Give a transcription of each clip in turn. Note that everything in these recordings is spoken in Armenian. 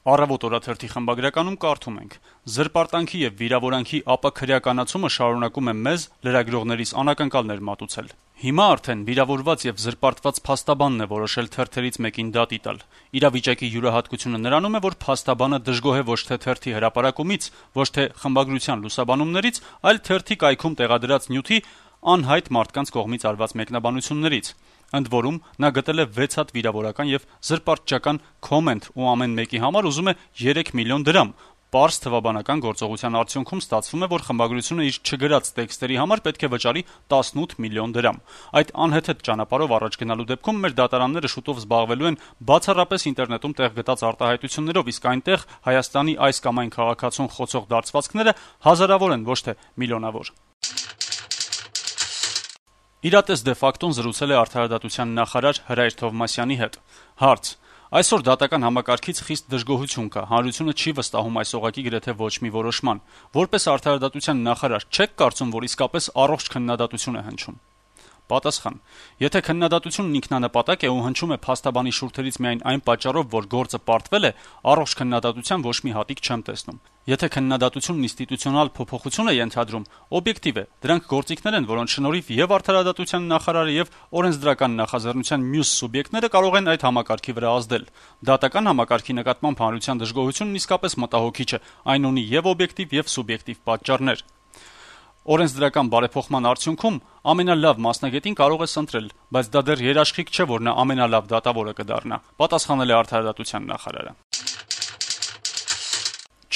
Առավոտ օրաթերթի խմբագրականում կարդում ենք. «Զրպարտանքի եւ վիրավորանքի ապաքրեականացումը շարունակում է մեզ լրագրողներիս անակնկալներ մատուցել։ Հիմա արդեն վիրավորված եւ զրպարտված փաստաբանն է որոշել թերթերից մեկին դատի տալ։ Իրավիճակի յուրահատկությունը նրանում է, որ փաստաբանը դժգոհ է ոչ թե թերթի հրապարակումից, ոչ թե խմբագրության լուսաբանումներից, այլ թերթի կայքում տեղադրած նյութի անհայտ մարդկանց կողմից արված մեկնաբանություններից։ Ընդ որում, նա գտել է 6 հատ վիրավորական եւ զրպարտչական կոմենտ ու ամեն մեկի համար ուզում է 3 միլիոն դրամ։ Պարզ թվաբանական գործողության արդյունքում ստացվում է, որ խմբագրությունը իր չգրած տեքստերի համար պետք է վճարի 18 միլիոն դրամ։ Այդ անհեթեթ ճանապարհով առաջ գնալու դեպքում մեր դատարանները շուտով զբաղվելու են բացառապես ինտերնետում տեղ գտած արտահայտություններով, իսկ այնտեղ Հայաստանի այս կամ այն քաղաքացուն խոցող դարձվածքները հազարավոր են, ոչ թե միլիոնավոր»։ Իրատես դե ֆակտոն զրուցել է արդարադատության նախարար Հրայր Թովմասյանի հետ։ Հարց. Այսօր դատական համակարգից խիստ դժգոհություն կա, հանրությունը չի վստահում այս օղակի գրեթե ոչ մի որոշման։ Որպես արդարադատության նախարար չեք կարծում, որ իսկապես առողջ քննադատություն է հնչում։ Պատասխան. Եթե քննադատությունն ինքնանպատակ է ու հնչում է փաստաբանի շուրթերից միայն այն պատճառով, որ գործը պարտվել է, առողջ քննադատության ոչ մի հատիկ չեմ տեսնում։ Եթե քննադատությունն ինստիտուցիոնալ փոփոխություն է ենթադրում, օբյեկտիվ է, դրանք գործիքներ են, որոնց շնորհիվ եւ արդարադատության նախարարը եւ օրենսդրական նախաձեռնության մյուս սուբյեկտները կարող են այդ համակարգի վրա ազդել։ Դատական համակարգի նկատմամբ հանրության դժգոհությունն իսկապես մտահոգիչ է, այն ունի եւ օբյեկտիվ եւ սուբյեկտիվ պատճառներ։ Օրենսդրական բարեփոխման արդյունքում ամենալավ մասնագետին կարող ես ընտրել, բայց դա դեռ երաշխիք չէ, որ նա ամենալավ դատավորը կդառնա, պատասխանել է արդարադատության նախարարը։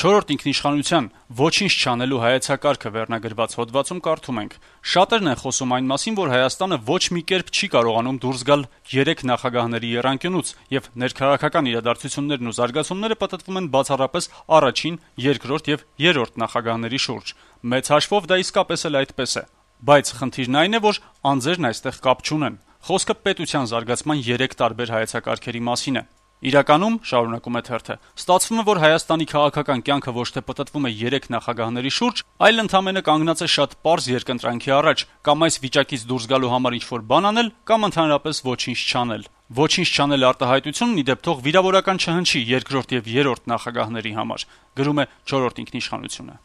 Չորրորդ ինքնիշխանության ոչինչ չանելու հայեցակարգը վերնագրված հոդվածում կարդում ենք. «Շատերն են խոսում այն մասին, որ Հայաստանը ոչ մի կերպ չի կարողանում դուրս գալ 3 նախագահների եռանկյունուց, եւ ներքաղաքական իրադարձություններն ու զարգացումները պատտվում են բացառապես առաջին, երկրորդ եւ երրորդ նախագահների շուրջ։ Մեծ հաշվով դա իսկապես էլ այդպես է։ Բայց խնդիրն այն է, որ անձերն այստեղ կապ չունեն։ Խոսքը պետության զարգացման 3 տարբեր հայեցակարգերի մասին է։ Իրականում, շարունակում է թերթը, ստացվում է, որ Հայաստանի քաղաքական կյանքը ոչ թե պտտվում է 3 նախագահների շուրջ, այլ ընդամենը կանգնած է շատ պարզ երկընտրանքի առաջ՝ կամ այս վիճակից դուրս գալու համար ինչ-որ բան անել, կամ ընդհանրապես ոչինչ չանել։ Ոչինչ չանել արտահայտությունն ի դեպ թող վիրավորական չհնչի երկրորդ եւ երրորդ նախագահների համար», գրում է Չորրորդ ինքնիշխանությունը։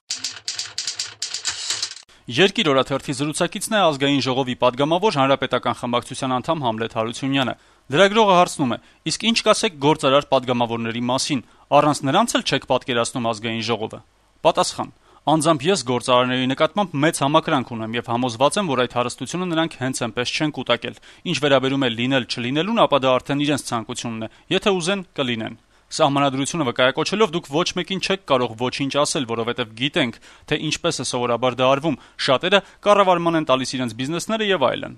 Երկիր օրաթերթի զրուցակիցն է Ազգային ժողովի պատգամավոր Հանրապետական խմբակցության անդամ Համլետ Հարությունյանը։ Լրագրողը հարցնում է. իսկ ինչ կասեք գործարար պատգամավորների մասին, առանց նրանց էլ չեք պատկերացնում Ազգային ժողովը։ Պատասխան. անձամբ ես գործարարների նկատմամբ մեծ համակրանք ունեմ եւ համոզված եմ, որ այդ հարստությունը նրանք հենց այնպես չեն կուտակել։ Ինչ վերաբերում է լինել-չլինելուն, ապա դա արդեն իրենց ցանկությունն է, եթե ուզեն կլինեն։ Սահմանադրությունը վկայակոչելով դուք ոչ մեկին չեք կարող ոչինչ ասել, որովհետեւ գիտենք, թե ինչպես է սովորաբար դա արվում, շատերը կառավարման են տալիս իրենց բիզնեսները եւ այլն։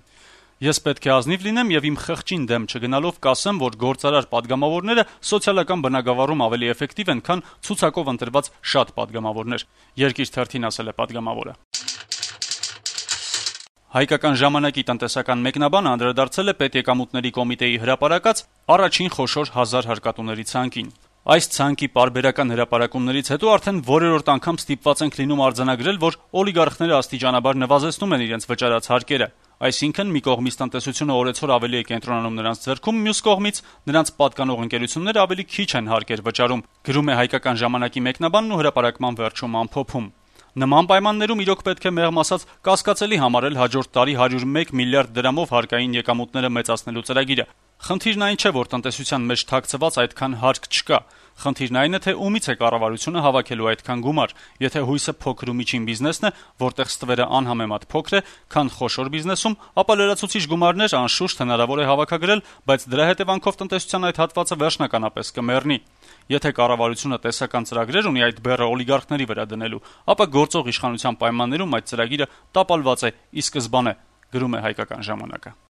Ես պետք է ազնիվ լինեմ եւ իմ խղճին դեմ չգնալով կասեմ, որ գործարար պատգամավորները սոցիալական բնագավառում ավելի էֆեկտիվ են, քան ցուցակով ընտրված շատ պատգամավորներ, Երկիր թերթին ասել է պատգամավորը։ Հայկական ժամանակի տնտեսական մեկնաբանը անդրադարձել է պետեկամուտների կոմիտեի հրապարակած առաջին խոշոր 1000 հարկատուների ցանկին։ Այս ցանկի պարբերական հրապարակումներից հետո արդեն որերորդ անգամ ստիպված ենք լինում արձանագրել, որ օլիգարխները աստիճանաբար նվազեցնում են իրենց վճարած հարկերը։ Այսինքն մի կողմից տնտեսությունը օրեցօր ավելի է կենտրոնանում նրանց ձեռքում, մյուս կողմից նրանց պատկանող ընկերությունները ավելի քիչ են հարկեր վճարում, գրում է Հայկական ժամանակի մեկնաբանն ու հրապարակման վերջում ամփոփում։ Նման պայմաններում իրոք պետք է մեղմ ասած կասկածելի համարել հաջորդ տարի 101 միլիարդ դրամով հարկային եկամուտները մեծացնելու ծրագիրը։ Խնդիրն այն չէ, որ տնտեսության մեջ թաքցված այդքան հարկ չկա։ Խնդիրն այն է, թե ումից է կառավարությունը հավաքելու այդքան գումար։ Եթե հույսը փոքր ու միջին բիզնեսն է, որտեղ ստվերը անհամեմատ փոքր է, քան խոշոր բիզնեսում, ապա լրացուցիչ գումարներ անշուշտ հնարավոր է հավաքագրել, բայց դրա հետևանքով տնտեսության այդ հատվածը վերջնականապես կմեռնի։ Եթե կառավարությունը տեսական ծրագրեր ունի այդ բեռը օլիգարխների վրա դնելու, ապա գործող իշխանության պայմաններում այդ ծրագիրը տապալված է ի սկզբանե, գրում է Հայկական ժամանակը։